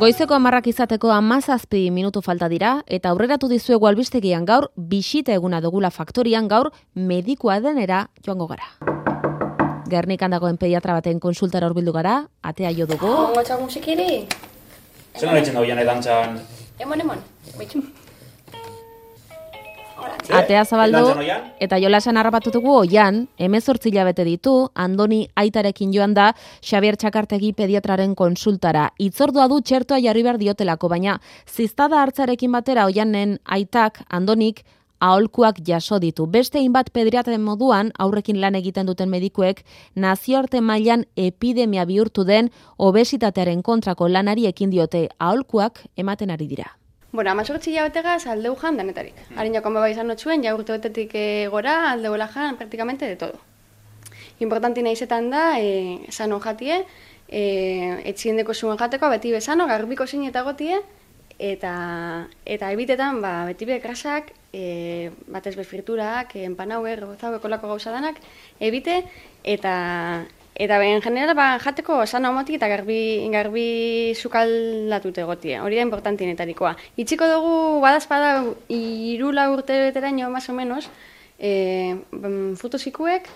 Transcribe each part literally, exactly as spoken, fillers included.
Goizeko hamarrak izateko hamazazpi minutu falta dira, eta aurreratu dizuegu albistegian gaur, bisita eguna dugula faktorian gaur, medikua denera joango gara. Gernikan dagoen pediatra baten konsultara hurbildu gara, atea jo dugu. Ongo txak musikiri? Zer nahitzen dago jane dantzan? Emon, emon, bitxu. Atea zabaldu, eta jolasen harrapatu dugu oian, hemezortzi hilabete ditu, Andoni aitarekin joan da, Xabier Txakartegi pediatraren konsultara. Itzordua du txertoa jarri behar diotelako, baina ziztada hartzarekin batera oianen aitak, Andonik, aholkuak jaso ditu. Beste hainbat pediatraren moduan, aurrekin lan egiten duten medikuek, nazioarte mailan epidemia bihurtu den obesitatearen kontrako lanari ekin diote aholkuak ematen ari dira. Bueno, amazortzi hilabetegaz aldeu jan danetarik. Harin jakon beba izan notzuen, ja urte betetik e, gora, aldeuela jan, praktikamente de todo. Importanti nahizetan da, e, sano jatie, e, etxiendeko zuen jateko, beti bezano, garbiko zin eta gotie, eta, eta ebitetan, ba, beti be krasak, e, batez be friturak, e, empanauer, gozau, ekolako gauza danak, ebite, eta... Eta en general ba, jateko sano motik eta garbi, garbi sukaldatute gotie. Hori da importantinetarikoa. Itxiko dugu badazpada irula urte beteraino, más o menos, e, frutosikuek,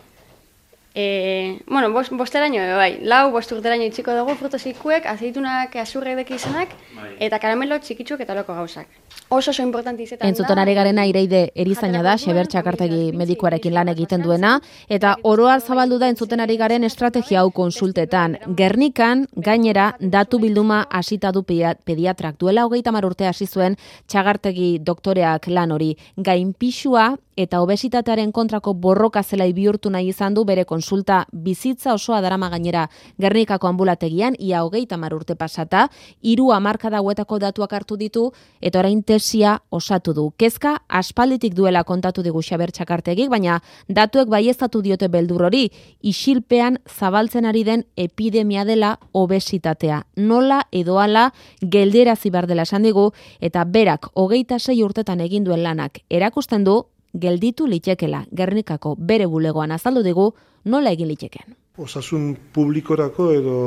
e, bueno, bost, bosteraino, bai, lau bost urteraino itxiko dugu frutosikuek, azeitunak, azurrek deki izanak, eta karamelo txikitsuk eta loko gauzak. Oso oso importanti izetan da. Entzuten ari garena Ireide erizaina da, Xabier Txakartegi medikuarekin lan egiten duena, eta oroar zabaldu da entzuten ari garen estrategia hau konsultetan. Gernikan, gainera, datu bilduma hasita du pediatrak. Duela hogeita hamar urte hasi zuen Txakartegi doktoreak lan hori. Gainpixua eta obesitatearen kontrako borroka zelai bihurtu nahi izan du bere konsulta bizitza osoa darama gainera Gernikako ambulategian, ia hogeita hamar urte pasata, hiru hamarkada hauetako datuak hartu ditu, eta orain tesia osatu du. Kezka aspalditik duela kontatu digu Xabier Txakartegik, baina datuek baieztatu diote beldur hori, isilpean zabaltzen ari den epidemia dela obesitatea. Nola edo hala gelderazi bar dela esan digu, eta berak hogeita sei urtetan egin duen lanak erakusten du, gelditu litekela. Gernikako bere bulegoan azaldu digu nola egin liteken. Osasun publikorako edo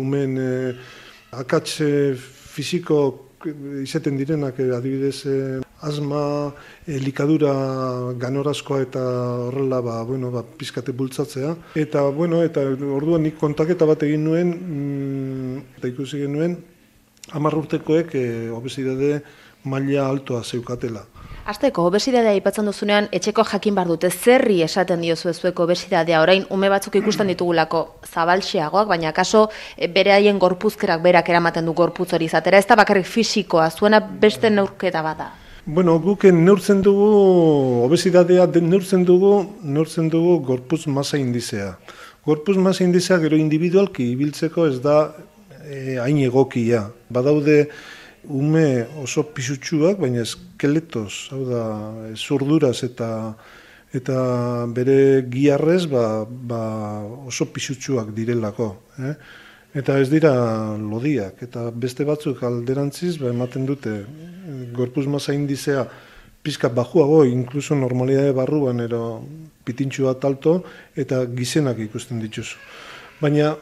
umen eh, akatze fisiko izaten direnak, adibidez eh, asma, eh, likadura ganorazkoa eta horrela ba, bueno, ba, pizkate bultzatzea. Eta, bueno, eta orduan nik kontaketa bat egin nuen, mm, eta ikusi genuen, hamar urtekoek eh, obesidade maila altoa zeukatela. Azteko, obesidadea aipatzen duzunean, etxeko jakin bar dute, zerri esaten diozu ezueko obesidadea, orain ume batzuk ikusten ditugulako zabaltxeagoak, baina kaso bere haien gorpuzkerak berak eramaten du gorputz hori izatera, ez da bakarrik fisikoa, zuena beste neurketa bada. Bueno, guk neurtzen dugu, obesidadea neurtzen dugu, neurtzen dugu gorputz masa indizea. Gorputz masa indizea gero individualki ibiltzeko ez da eh, hain egokia. Badaude ume oso pisutsuak, baina eskeletoz, hau da, zurduraz eta eta bere giarrez ba, ba oso pisutsuak direlako. Eh? Eta ez dira lodiak, eta beste batzuk alderantziz ba, ematen dute gorputz masa indizea pizka bajuago, inkluso normalidade barruan ero pitintxu bat alto, eta gizenak ikusten dituzu. Baina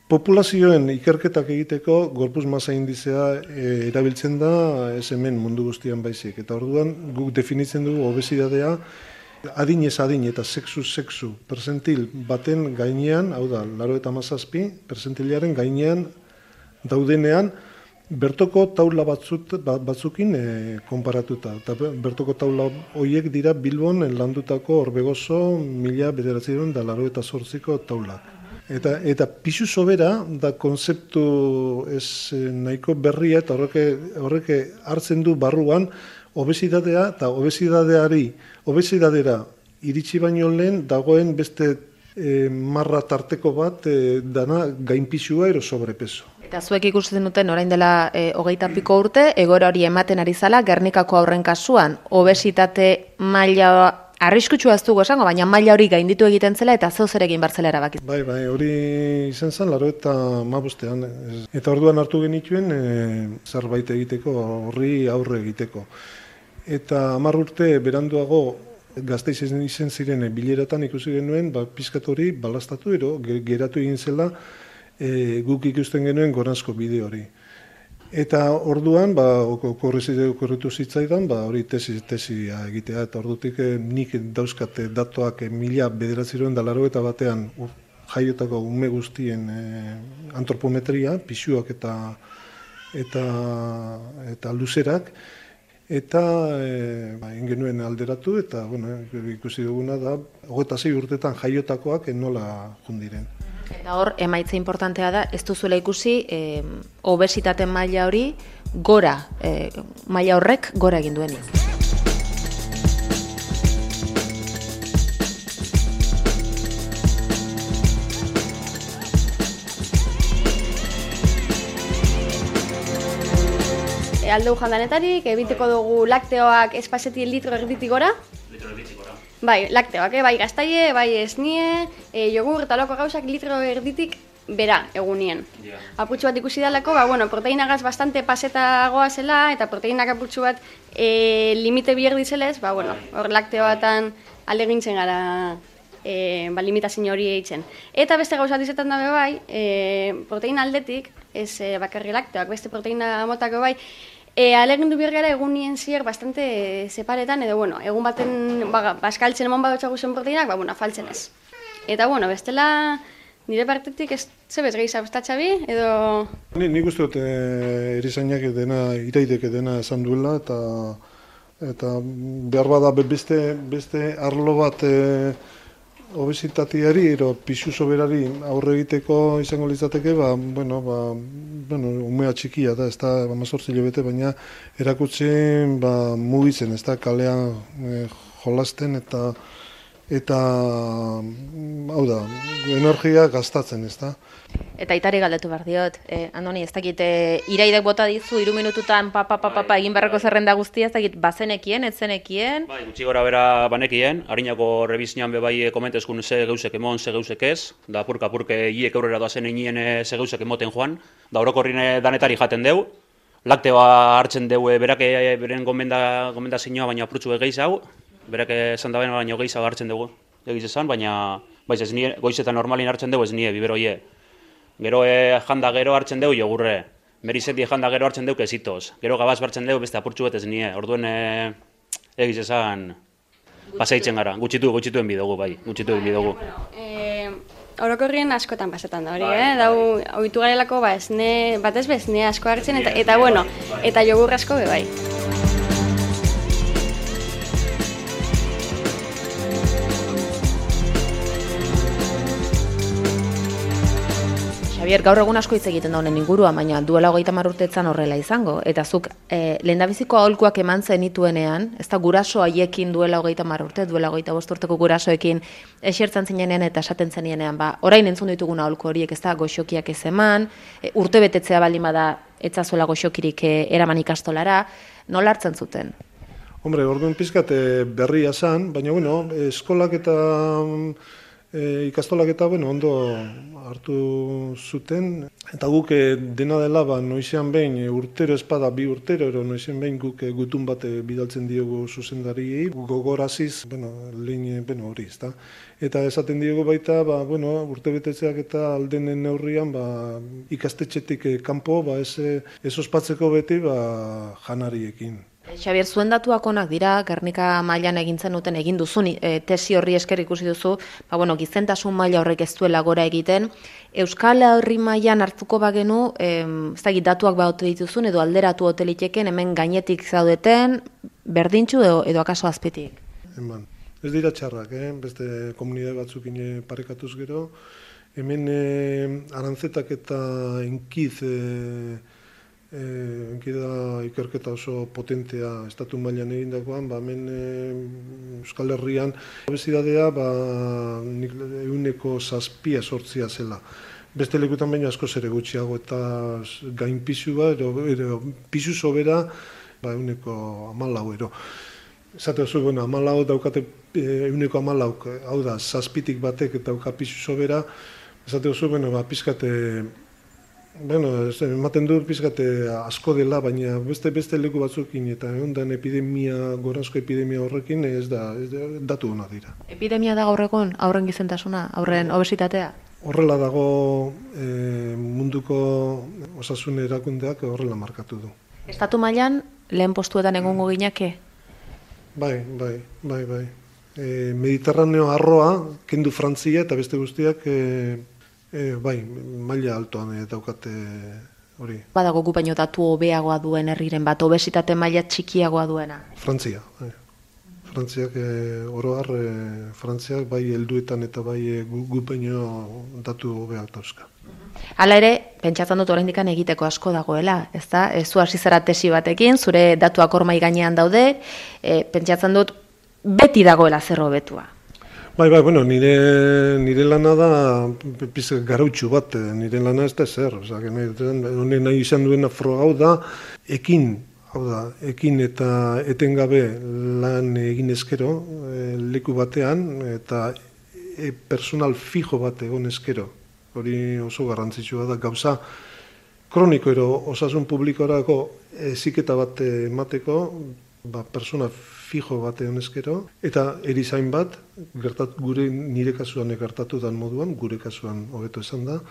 populazioen ikerketak egiteko gorputz masa indizea e, erabiltzen da ez hemen mundu guztian baizik. Eta orduan guk definitzen dugu obesidadea adinez adin eta sexu-sexu persentil baten gainean, hau da, laurogeita hamazazpi persentilaren gainean daudenean bertoko taula batzut, batzukin e, konparatuta. Eta bertoko taula horiek dira Bilbon landutako Orbegozo mila bederatziehun eta laurogeita zortziko taulak. Eta, eta pisu sobera da konzeptu ez nahiko berria eta horreke, horreke hartzen du barruan obesidatea eta obesidadeari, obesidadera iritsi baino lehen dagoen beste e, marra tarteko bat e, dana gainpisua ero sobrepeso. Eta zuek ikusten duten orain dela e, hogeita piko urte, egoera hori ematen ari zala, Gernikako aurren kasuan, obesitate maila arriskutsua ez dugu esango, baina maila hori gainditu egiten zela eta zeu zer egin bartzela erabaki. Bai, bai, hori izan zen, laro eta mabostean. Eta orduan hartu genituen e, zerbait egiteko, horri aurre egiteko. Eta hamar urte beranduago Gasteiz izen ziren bileratan ikusi genuen, ba, pizkat hori balastatu ero, geratu egin zela e, guk ikusten genuen goranzko bide hori. Eta orduan, ba, okorritu zitzaidan, ba, hori tesi, tesia egitea, eta ordutik nik dauzkate datuak mila bederatziroen da laro eta batean jaiotako ume guztien e, antropometria, pisuak eta eta eta luzerak, eta e, ba, ingenuen alderatu, eta bueno, ikusi duguna da, hogeita sei urtetan jaiotakoak nola jundiren. Eta hor, emaitza importantea da, ez duzuela ikusi, e, obesitate maila hori gora, e, maila horrek gora egin duenik. E, aldeu jandanetarik, ebiteko dugu lakteoak espazeti litro erditik gora. Litro erditik gora. Bai, lakteoak, eh? Bai gaztaile, bai esnie, e, jogur eta loko gauzak litro erditik bera egunien. Yeah. Apurtxu bat ikusi dalako, ba, bueno, proteinagaz bastante pasetagoa zela, eta proteinak apurtxu bat e, limite bier dizelez, ba, bueno, hor lakteoatan alegintzen gara e, ba, limitazio hori eitzen. Eta beste gauza dizetan dabe bai, e, proteina aldetik, ez e, bakarri lakteoak, beste proteina motako bai, E, alegindu behar gara egunien zier bastante separetan, edo, bueno, egun baten ba, baskaltzen emon badotxagu zen proteinak, ba, bueno, faltzen ez. Eta, bueno, bestela, nire partetik ez zebez gehiza bestatxabi, edo... Ni, nik uste dut e, erizainak dena, iraidek dena esan duela, eta eta behar bada beste, beste arlo bat e, obesitateari, ero pisu soberari aurre egiteko izango litzateke, ba, bueno, ba, bueno, umea txikia da, ez da, amazortzi hilabete, baina erakutsi ba, mugitzen, ez da, kalean e, jolasten eta eta hau da, energia gastatzen, ez da. Eta itari galdetu behar diot, eh, Andoni, ez dakit, eh, iraidek bota dizu, iru minututan papa, papa, papa, egin beharreko zerrenda guztia, ez dakit, bazenekien, etzenekien? Bai, gutxi gora bera banekien, harinako rebizinan bebai komentezkun ze geusek emon, ze geusek ez, da apurka apurke hiek aurrera doazen inien ze geusek emoten joan, da orokorrine danetari jaten deu, lakteoa hartzen deu berak beren gomenda, gomenda zinua, baina apurtzu egeiz hau, berak esan da baina egeiz hau hartzen dugu, egiz esan, baina baiz ez nie, goizetan normalin hartzen dugu ez nie, biberoie. Gero e, janda gero hartzen dugu jogurre, merizeti janda gero hartzen dugu kesitoz, gero gabaz hartzen dugu beste apurtxu betez nie, orduen e, egiz esan pasaitzen gara, gutxitu, gutxituen bidugu, bai, gutxituen bidugu. E, orokorrien askotan pasetan da hori, eh? Dau, ohitu garelako, ba, esne, batez bez, esne asko hartzen, eta, eta bueno, eta jogur asko be bai. Javier, gaur egun asko hitz egiten da honen ingurua, baina duela hogeita hamar urteetan horrela izango. Eta zuk e, lehendabiziko aholkuak eman zenituenean, ez da guraso haiekin duela hogeita hamar urte, duela hogeita bost urteko gurasoekin esertzen zinenean eta esaten zenienean, ba, orain entzun ditugun aholku horiek, ez da goxokiak ez eman, e, urte betetzea baldin bada etzazuela goxokirik e, eraman ikastolara, nola hartzen zuten? Hombre, orduan pizkat berria zan, baina bueno, eskolak eta E, ikastolak eta bueno, ondo hartu zuten, eta guk e, dena dela ba, noizean behin e, urtero espada bi urtero, ero noizean behin guk e, gutun bat e, bidaltzen diogu zuzendariei, gogoraziz, bueno, lehen bueno, hori, ezta. Eta esaten diogu baita, ba, bueno, urte betetzeak eta aldenen neurrian ba, ikastetxetik e, kanpo, ba, ez, ez ospatzeko beti ba, janariekin. Xabier, zuen datuak onak dira, Gernika mailan egintzen duten egin duzun, e, tesi horri esker ikusi duzu, ba, bueno, gizentasun maila horrek ez duela gora egiten. Euskal Herri mailan hartuko bagenu, e, ez da datuak baute dituzun, edo alderatu hoteliteken, hemen gainetik zaudeten, berdintxu edo, edo akaso azpitik? Eman, ez dira txarrak, eh? Beste komunidade batzukin parekatuz gero, hemen e, arantzetak eta enkiz, e, E, enkida ikerketa oso potentea estatu mailan egindakoan, ba, hemen e, Euskal Herrian obesidadea ba, ehuneko zazpia sortzia zela. Beste lekutan baina askoz ere gutxiago eta gain pisua, ero, ero, pisu sobera ba, ehuneko hamalau ero. Zate oso, bueno, hamalau daukate ehuneko hamalau, hau da, zazpitik batek dauka pisu sobera, zate oso, bueno, ba, pizkate Bueno, ematen dut pizkate asko dela, baina beste beste leku batzukin eta ondan epidemia, gorazko epidemia horrekin ez da, ez da datu ona dira. Epidemia da gaur egun aurren gizentasuna, aurren obesitatea? horrela dago e, munduko osasun erakundeak horrela markatu du. Estatu mailan lehen postuetan egongo ginake? Bai, bai, bai, bai. E, Mediterraneo arroa, kendu Frantzia eta beste guztiak, e, e, bai, maila altoan e, daukate hori. Badago gu baino datu hobeagoa duen herriren bat, obesitate maila txikiagoa duena? Frantzia, bai. Frantziak, e, oro har, e, Frantziak bai helduetan eta bai e, gu, gu baino datu hobeak dauzka. Hala ere, pentsatzen dut oraindikan egiteko asko dagoela, ezta? Ez zu hasi zara tesi batekin, zure datuak hor mahai gainean daude, e, pentsatzen dut beti dagoela zer hobetua. Bai, bai, bueno, nire, nire lana da pizka garautxu bat, nire lana ez da zer, osea, honen nahi izan duena frogau da, ekin, hau da, ekin eta etengabe lan egin ezkero, e, leku batean, eta e, personal fijo bat egon ezkero. Hori oso garrantzitsua da, gauza kroniko ero osasun publikorako heziketa bat emateko, ba, persona fijo bat egon ezkero, eta erizain bat, gertat, gure nire kasuan gertatu dan moduan, gure kasuan hobeto esan da,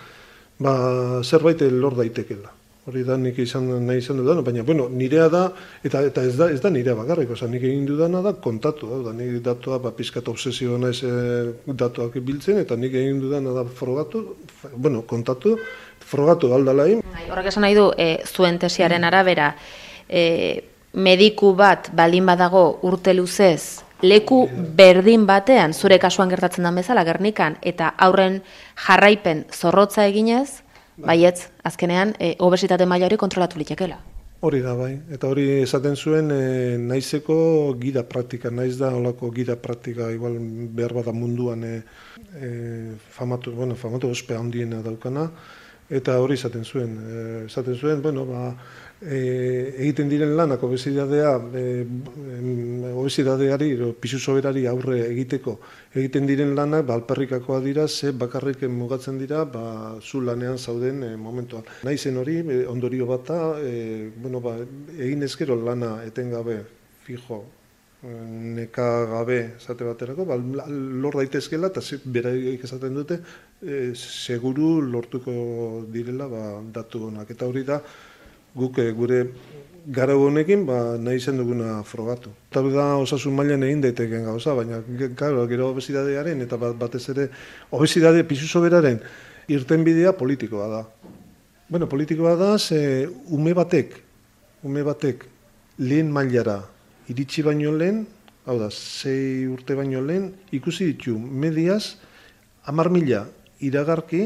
ba, zerbait lor daitekela. Hori da nik izan nahi izan dudana, baina bueno, nirea da, eta eta ez da ez da nirea bakarrik, osea, nik egin dudana da kontatu, da, nik datua ba pizkat obsesioa naiz e, datuak biltzen, eta nik egin dudana da frogatu, bueno, kontatu, frogatu aldalain. Horrek esan nahi du, e, zuen tesiaren arabera, e, mediku bat balin badago urte luzez, leku berdin batean, zure kasuan gertatzen den bezala, Gernikan, eta aurren jarraipen zorrotza eginez, baietz, azkenean, e, obesitate maila hori kontrolatu litekela. Hori da, bai. Eta hori esaten zuen, e, naizeko gida praktika, naiz da holako gida praktika, igual behar bada munduan e, e, famatu, bueno, famatu ospe handiena daukana, eta hori esaten zuen. E, esaten zuen, bueno, ba, e, egiten diren lanak obesidadea, e, obesidadeari, pisu soberari aurre egiteko, egiten diren lanak, ba, alperrikakoa dira, ze bakarrik mugatzen dira, ba, zu lanean zauden e, momentuan. Naizen hori, e, ondorio bata, e, bueno, ba, egin ezkero lana etengabe, fijo, nekagabe esate baterako, ba, lor daitezkela, eta beraik esaten dute, e, seguru lortuko direla ba, datu honak. Eta hori da, guk e, gure garau honekin ba, nahi izan duguna frogatu. Eta da osasun mailan egin daiteken gauza, baina gero, gero obesidadearen eta bat, batez ere obesidade pisu soberaren irtenbidea politikoa da. Bueno, politikoa da, ze ume batek, ume batek lehen mailara iritsi baino lehen, hau da, sei urte baino lehen, ikusi ditu mediaz, hamar mila iragarki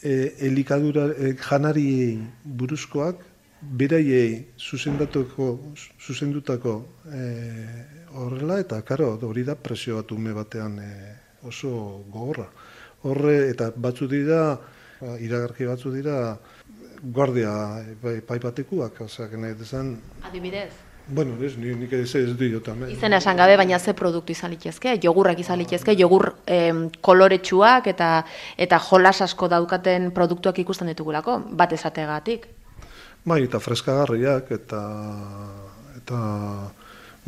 e, elikadura e, janariei buruzkoak, beraiei zuzendutako, zuzendutako e, horrela, eta karo, hori da presio bat ume batean e, oso gogorra. Horre, eta batzu dira, iragarki batzu dira, guardia epai batekuak, oseak nahi dezan. Adibidez? Bueno, ez, nik ez ez diotan. Izena esan gabe, baina ze produktu izan litezke, jogurrak izan litezke, jogur em, koloretsuak eta eta jolas asko daukaten produktuak ikusten ditugulako, bat esategatik. Bai, eta freskagarriak, eta, eta,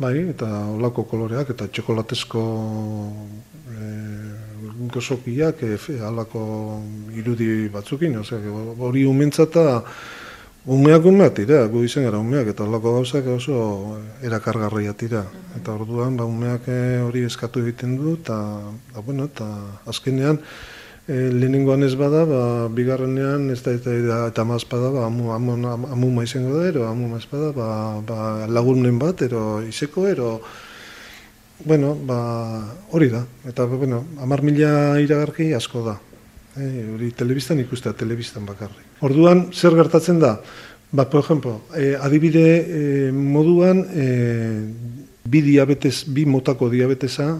bai, eta olako koloreak, eta txokolatezko e, gozokiak, e, alako irudi batzukin, ose, hori umentzata, umeak umeak tira, gu izen gara umeak, eta olako gauzak oso erakargarria tira. Eta orduan, ba, umeak hori eskatu egiten du, eta, da, bueno, eta azkenean, E, lehenengoan ez bada, ba, bigarrenean ez da eta, eta maz bada, ba, amu, amu, amu maizengo da, ero amu maiz bada, ba, ba, lagunen bat, ero izeko, ero, bueno, ba, hori da. Eta, bueno, hamar mila iragarki asko da. E, hori telebistan ikustea, telebistan bakarrik. Orduan, zer gertatzen da? Ba, por ejemplo, e, adibide e, moduan, e, bi diabetes, bi motako diabetesa,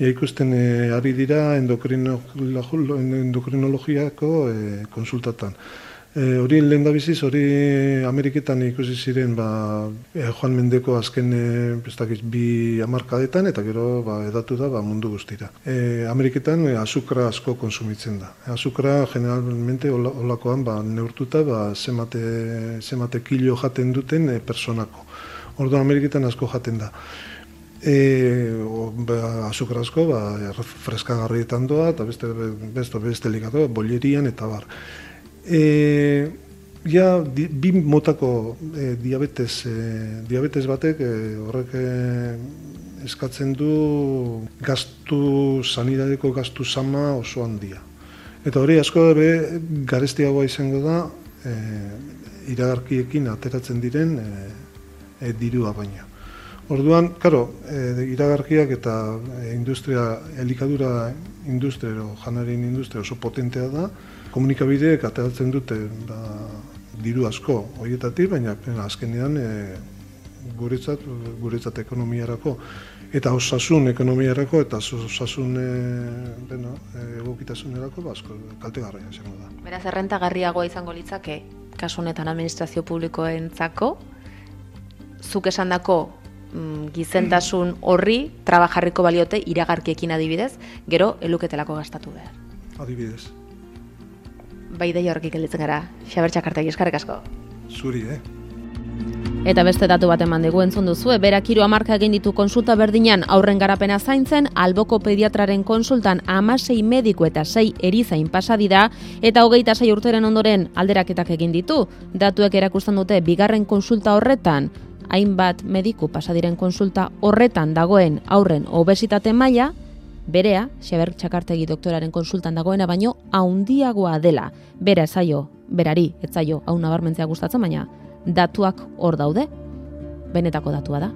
Ja, ikusten e, ari dira endokrino, endokrinologiako e, konsultatan. E, hori lehen da biziz, hori Ameriketan ikusi ziren ba, e, Joan Mendeko azken e, bestakiz, bi hamarkadetan, eta gero ba, edatu da ba, mundu guztira. E, Ameriketan e, azukra asko konsumitzen da. E, azukra generalmente olakoan ba, neurtuta ba, zemate, zemate kilo jaten duten e, personako. Orduan Ameriketan asko jaten da. E, o, ba, azukar asko, ba, freskagarrietan doa, eta beste, beste, beste ligatu, bollerian, eta bar. E, ja, di, bi motako e, diabetes, e, diabetes batek e, horrek e, eskatzen du gastu, sanidadeko gastu sama oso handia. Eta hori asko be, garestiagoa izango da, e, iragarkiekin ateratzen diren e, e, dirua baina. Orduan, karo, e, iragarkiak eta e, industria, elikadura industria, o janarien industria oso potentea da, komunikabideek ateratzen dute da, diru asko horietatik, baina azkenean e, guretzat, guretzat ekonomiarako eta osasun ekonomiarako eta osasun e, beno, egokitasunerako asko kaltegarria izango da. Beraz, errentagarriagoa izango litzake, kasu honetan administrazio publikoentzako, zuk esandako gizentasun horri trabajarriko baliote iragarkiekin adibidez, gero eluketelako gastatu behar. Adibidez. Bai ideia horrekik gelditzen gara, Xaber Txakartegi, eskerrik asko. Zuri, eh? Eta beste datu bat eman dugu entzun duzu, berak hiru hamarka egin ditu konsulta berdinan aurren garapena zaintzen, alboko pediatraren konsultan hamasei mediku eta sei erizain pasadi da, eta hogeita sei urteren ondoren alderaketak egin ditu. Datuek erakusten dute bigarren konsulta horretan, hainbat mediku pasadiren konsulta horretan dagoen aurren obesitate maila, berea, Xaber Txakartegi doktoraren konsultan dagoena baino haundiagoa dela. Bera ezaio, berari, etzaio, hau nabarmentzea gustatzen, baina datuak hor daude, benetako datua da.